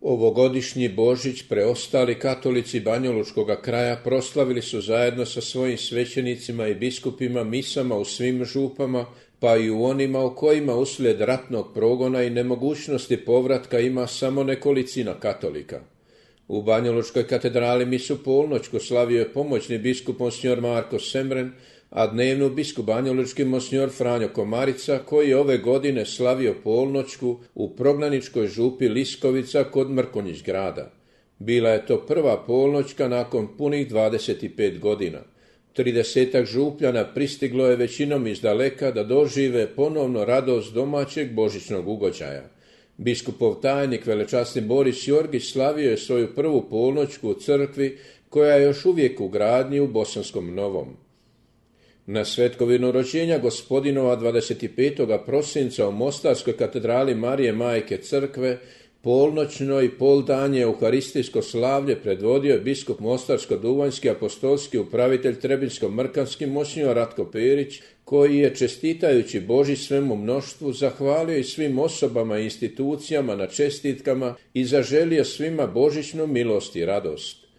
Ovogodišnji Božić preostali katolici banjalučkoga kraja proslavili su zajedno sa svojim svećenicima i biskupima misama u svim župama, pa i u onima u kojima uslijed ratnog progona i nemogućnosti povratka ima samo nekolicina katolika. U Banjalučkoj katedrali misu polnoćku slavio je pomoćni biskup monsignor Marko Semren, a dnevnu biskup banjalučki monsignor Franjo Komarica, koji je ove godine slavio polnoćku u prognaničkoj župi Liskovica kod Mrkonjić grada. Bila je to prva polnoćka nakon punih 25 godina. 30 župljana pristiglo je većinom iz daleka da dožive ponovno radost domaćeg božićnog ugođaja. Biskupov tajnik velečasni Boris Jorgić slavio je svoju prvu polnoćku u crkvi koja je još uvijek u gradnji u Bosanskom Novom. Na svetkovinu rođenja gospodinova 25. prosinca u Mostarskoj katedrali Marije Majke crkve polnoćno i poldanje euharistijsko slavlje predvodio je biskup Mostarsko-duvanjski apostolski upravitelj Trebinsko-mrkanski monsignor Ratko Perić, koji je čestitajući Božić svemu mnoštvu zahvalio i svim osobama i institucijama na čestitkama i zaželio svima božićnu milost i radost.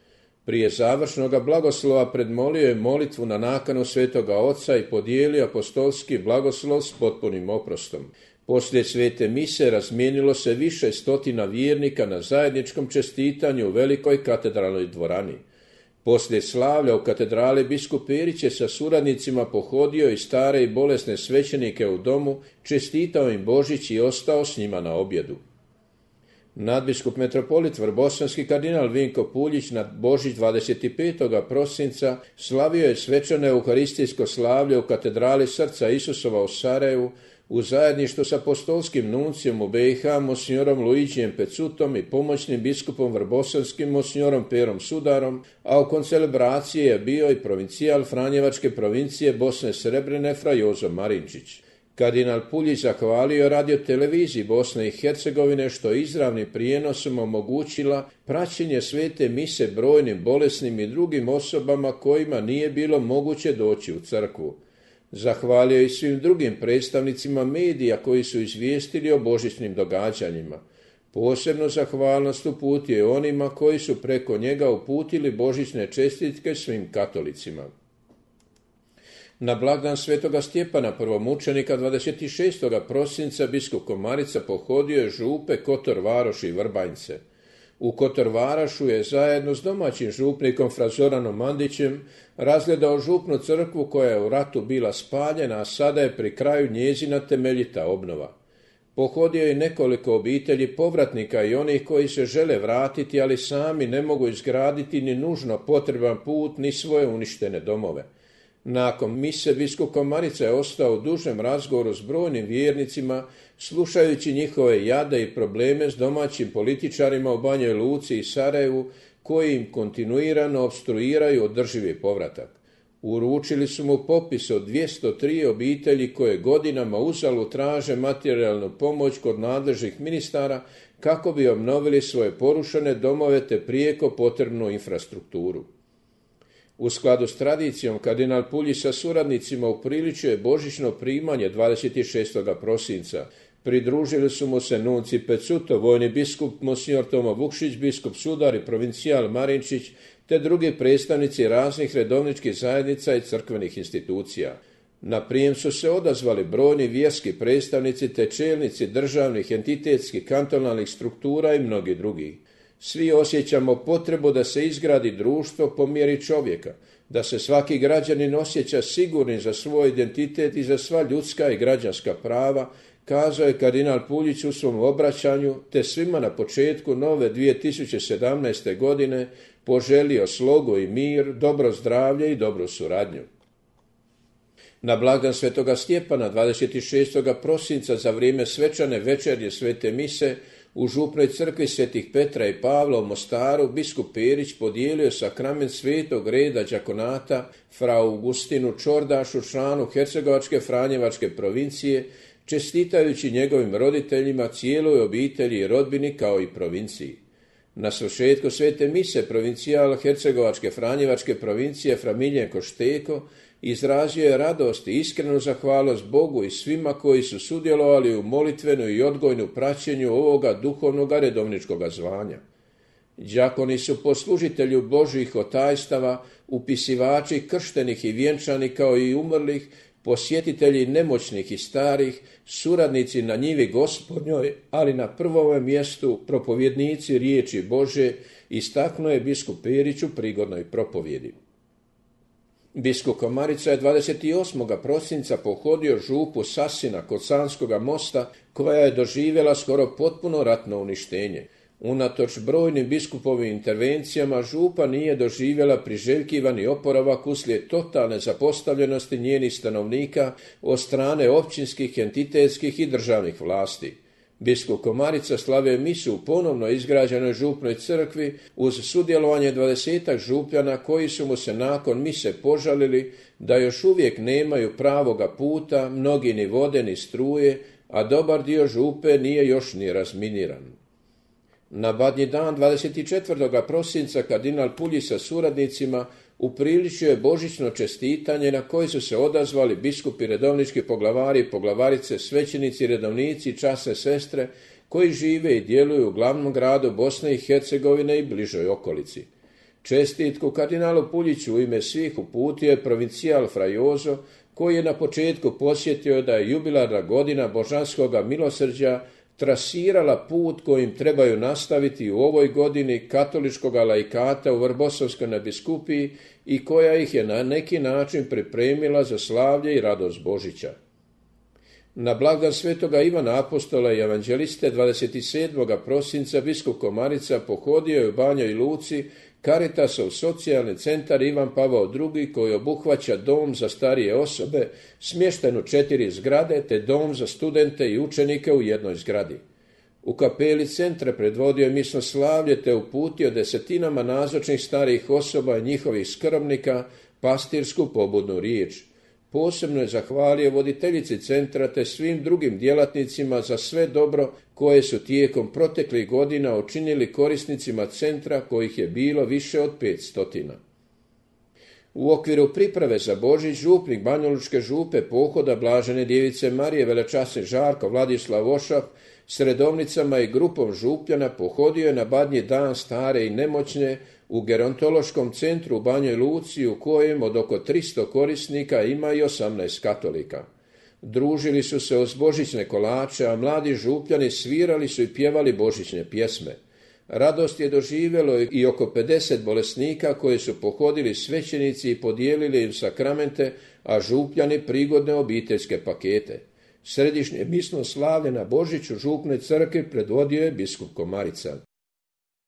Prije završnoga blagoslova predmolio je molitvu na nakanu Svetoga Oca i podijelio apostolski blagoslov s potpunim oprostom. Poslije svete mise razmijenilo se više stotina vjernika na zajedničkom čestitanju u velikoj katedralnoj dvorani. Poslije slavlja u katedrali biskup Perić je sa suradnicima pohodio i stare i bolesne svećenike u domu, čestitao im Božić i ostao s njima na objedu. Nadbiskup metropolit Vrbosanski kardinal Vinko Puljić na Božić 25. prosinca slavio je svečano euharistijsko slavlje u katedrali Srca Isusova u Sarajevu u zajedništvu s apostolskim nuncijom u BiH monsignorom Luigijem Pecutom i pomoćnim biskupom vrbosanskim monsignorom Perom Sudarom, a u koncelebraciji je bio i provincijal Franjevačke provincije Bosne Srebrene fra Jozo Marinčić. Kardinal Puljić zahvalio radio televiziji Bosne i Hercegovine što je izravnim prijenosom omogućila praćenje svete mise brojnim bolesnim i drugim osobama kojima nije bilo moguće doći u crkvu. Zahvalio i svim drugim predstavnicima medija koji su izvijestili o božićnim događanjima. Posebno zahvalnost uputio je onima koji su preko njega uputili božićne čestitke svim katolicima. Na blagdan svetoga Stjepana prvomučenika 26. prosinca biskup Komarica pohodio je župe Kotor Varoš i Vrbanjce. U Kotor Varašu je zajedno s domaćim župnikom fra Zoranom Mandićem razgledao župnu crkvu koja je u ratu bila spaljena, a sada je pri kraju njezina temeljita obnova. Pohodio je nekoliko obitelji povratnika i onih koji se žele vratiti, ali sami ne mogu izgraditi ni nužno potreban put ni svoje uništene domove. Nakon mise biskup Komarica je ostao u dužem razgovoru s brojnim vjernicima, slušajući njihove jade i probleme s domaćim političarima u Banjoj Luci i Sarajevu, koji im kontinuirano opstruiraju održivi povratak. Uručili su mu popis od 203 obitelji koje godinama uzalud traže materijalnu pomoć kod nadležnih ministara kako bi obnovili svoje porušene domove te prijeko potrebnu infrastrukturu. U skladu s tradicijom, kardinal Puljić sa suradnicima upriličio je božićno primanje 26. prosinca. Pridružili su mu se nunci Pecuto, vojni biskup monsignor Tomo Vukšić, biskup Sudar i provincijal Marinčić, te drugi predstavnici raznih redovničkih zajednica i crkvenih institucija. Na prijem su se odazvali brojni vjerski predstavnici te čelnici državnih, entitetskih, kantonalnih struktura i mnogi drugi. Svi osjećamo potrebu da se izgradi društvo po mjeri čovjeka, da se svaki građanin osjeća sigurnim za svoj identitet i za sva ljudska i građanska prava, kazao je kardinal Puljić u svom obraćanju, te svima na početku nove 2017. godine poželio slogu i mir, dobro zdravlje i dobru suradnju. Na blagdan svetoga Stjepana 26. prosinca za vrijeme svečane večernje svete mise u župnoj crkvi svetih Petra i Pavla u Mostaru biskup Perić podijelio sakrament svetog reda đakonata fra Augustinu Čordašu, članu Hercegovačke Franjevačke provincije, čestitajući njegovim roditeljima, cijeloj obitelji i rodbini kao i provinciji. Na svršetku svete mise provincijal Hercegovačke Franjevačke provincije fra Miljenko Šteko izrazio je radost i iskrenu zahvalnost Bogu i svima koji su sudjelovali u molitvenu i odgojnu praćenju ovoga duhovnog redovničkog zvanja. Đakoni su poslužitelju Božjih otajstava, upisivači krštenih i vjenčanih kao i umrlih, posjetitelji nemoćnih i starih, suradnici na njivi Gospodnjoj, ali na prvome mjestu propovjednici riječi Bože, istaknuo je biskup Perić u prigodnoj propovjedi. Biskup Komarica je 28. prosinca pohodio župu Sasina kod Sanskoga mosta, koja je doživjela skoro potpuno ratno uništenje. Unatoč brojnim biskupovim intervencijama župa nije doživjela priželjkivani oporavak uslijed totalne zapostavljenosti njenih stanovnika od strane općinskih, entitetskih i državnih vlasti. Biskup Komarica slavio misu u ponovno izgrađenoj župnoj crkvi uz sudjelovanje 20 župljana koji su mu se nakon mise požalili da još uvijek nemaju pravoga puta, mnogi ni vode ni struje, a dobar dio župe nije još ni razminiran. Na Badnji dan 24. prosinca kardinal Puljić sa suradnicima upriličio je božićno čestitanje na koje su se odazvali biskupi, redovnički poglavari, poglavarice, svećenici, redovnici, časne sestre koji žive i djeluju u glavnom gradu Bosne i Hercegovine i bližoj okolici. Čestitku kardinalu Puljiću u ime svih uputio je provincijal fra Jozo, koji je na početku podsjetio da je jubilarna godina božanskoga milosrđa trasirala put kojim trebaju nastaviti u ovoj godini katoličkoga laikata u Vrbosovskoj nadbiskupiji i koja ih je na neki način pripremila za slavlje i radost Božića. Na blagdan svetoga Ivana Apostola i evanđeliste 27. prosinca biskup Komarica pohodio je u Banjoj Luci Caritasov socijalni centar Ivan Pavao II koji obuhvaća dom za starije osobe smješten u 4 zgrade te dom za studente i učenike u jednoj zgradi. U kapeli centra predvodio je misno slavlje te uputio desetinama nazočnih starijih osoba i njihovih skrbnika pastirsku pobudnu riječ. Posebno je zahvalio voditeljici centra te svim drugim djelatnicima za sve dobro koje su tijekom proteklih godina učinili korisnicima centra kojih je bilo više od 500. U okviru priprave za Božić župnik Banjalučke župe pohoda Blažene djevice Marije velečasni Žarko Vladislav Ošap s redovnicama i grupom župljana pohodio je na Badnji dan stare i nemoćne u gerontološkom centru u Banjoj Luci u kojem od oko 300 korisnika ima i 18 katolika. Družili su se uz božićne kolače, a mladi župljani svirali su i pjevali božićne pjesme. Radost je doživjelo i oko 50 bolesnika koji su pohodili svećenici i podijelili im sakramente, a župljani prigodne obiteljske pakete. Središnje misno slavlje na Božiću župne crkve predvodio je biskup Komarica.